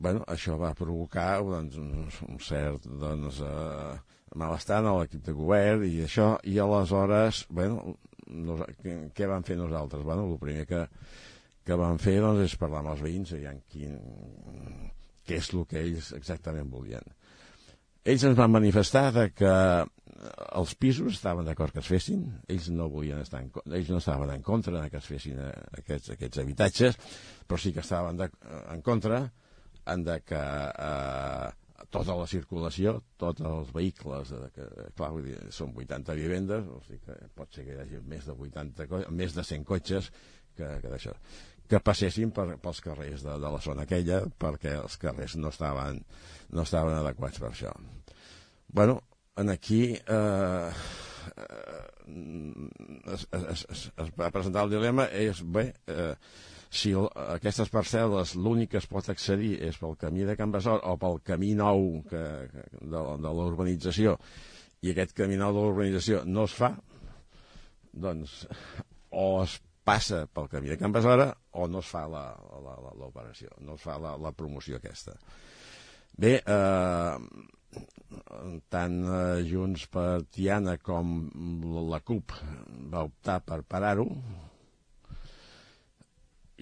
bueno, això va provocar doncs, un cert malestar en l'equip de govern i això, i aleshores, bueno, què vam fer nosaltres? Bueno, el primer que vam fer doncs, és parlar amb els veïns, aviam què és el que ells exactament volien. Ells ens van manifestar que els pisos estaven d'acord que es fessin, ells no estaven en contra que es fessin aquests habitatges, però sí que estaven en contra de que tota la circulació, tots els vehicles, clar, vull dir, són 80 vivendes, o sigui que pot ser que hi hagi més de 100 cotxes que passessin pels carrers de la zona aquella, perquè els carrers no estaven adequats per això. Bueno, aquí es va presentar el dilema, si aquestes parcel·les l'únic que es pot accedir és pel camí de Can Besora o pel camí nou de la urbanització, i aquest camí nou de la urbanització no es fa, doncs o es passa pel camí de Can Besora o no es fa l'operació, no es fa la promoció aquesta. Bé, tant Junts per Tiana com la CUP va optar per parar-ho,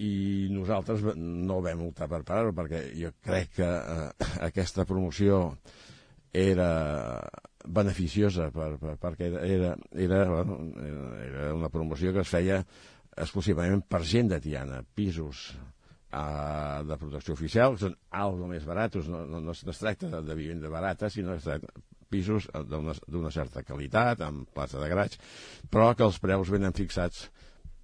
i nosaltres no vam optar per parar-ho perquè jo crec que aquesta promoció era beneficiosa perquè era una promoció que es feia exclusivament per gent de Tiana, pisos de protecció oficial, que són algo més baratos, no es tracta de vivenda barata, sinó es tracta de pisos d'una certa qualitat, amb plaça de garatge, però que els preus venen fixats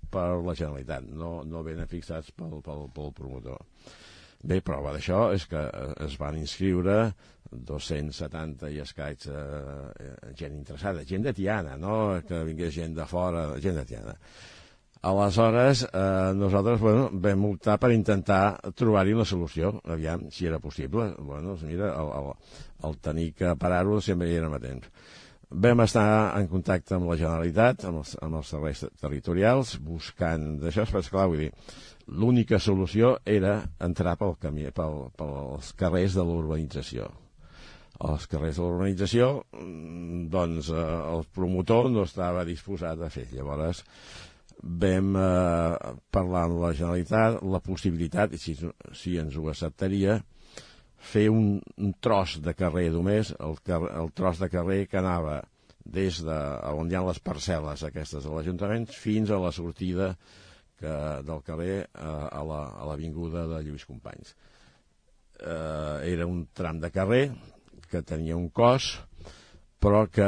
per la Generalitat, no venen fixats pel promotor. Bé, prova d'això és que es van inscriure 270 i escaig gent interessada, gent de Tiana, no que vingués gent de fora, gent de Tiana. Aleshores, nosaltres vam optar per intentar trobar-hi una solució, aviam si era possible. Doncs mira, el tenir que parar-ho sempre hi érem a temps. Vam estar en contacte amb la Generalitat, amb els serveis territorials, buscant d'això, però esclar, vull dir, l'única solució era entrar pels carrers de l'urbanització. Els carrers de l'urbanització, doncs, el promotor no estava disposat a fer. Llavors, vam parlar amb la Generalitat la possibilitat, si ens ho acceptaria, fer un tros de carrer només, el tros de carrer que anava des d'on hi ha les parcel·les aquestes de l'Ajuntament fins a la sortida del carrer a l'avinguda de Lluís Companys. Era un tram de carrer que tenia un cos, però que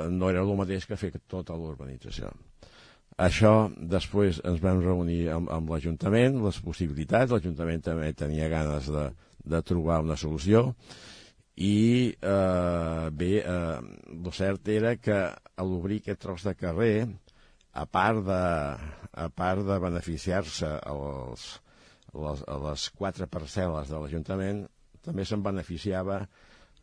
no era el mateix que fer tota l'urbanització. Això, després ens vam reunir amb l'Ajuntament, les possibilitats, l'Ajuntament també tenia ganes de trobar una solució, i bé, el cert era que a l'obrir aquest tros de carrer, a part de beneficiar-se a les 4 parcel·les de l'Ajuntament, també se'n beneficiava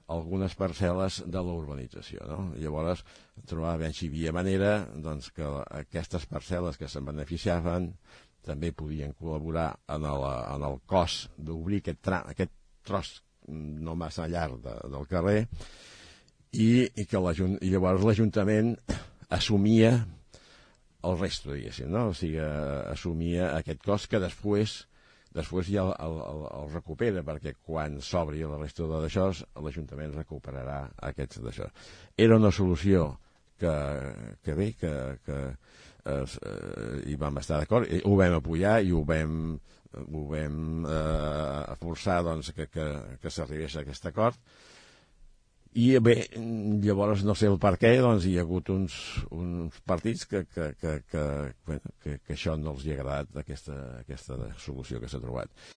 algunes parcel·les de la urbanització, no? Llavors trobava si hi havia manera doncs, que aquestes parcel·les que se'n beneficiaven també podien col·laborar en el cost d'obrir aquest tros no massa llarg del carrer, i que llavors l'Ajuntament assumia el resto, diguéssim, no? O sigui, assumia aquest cost que després ja el recupera, perquè quan s'obri la resta d'això l'Ajuntament recuperarà aquests d'això. Era una solució que bé, que hi vam estar d'acord, ho vam apoyar i ho vam forçar doncs, que s'arribés a aquest acord. I bé, llavors no sé el per què, doncs hi ha hagut uns partits que això no els hi ha agradat, aquesta solució que s'ha trobat.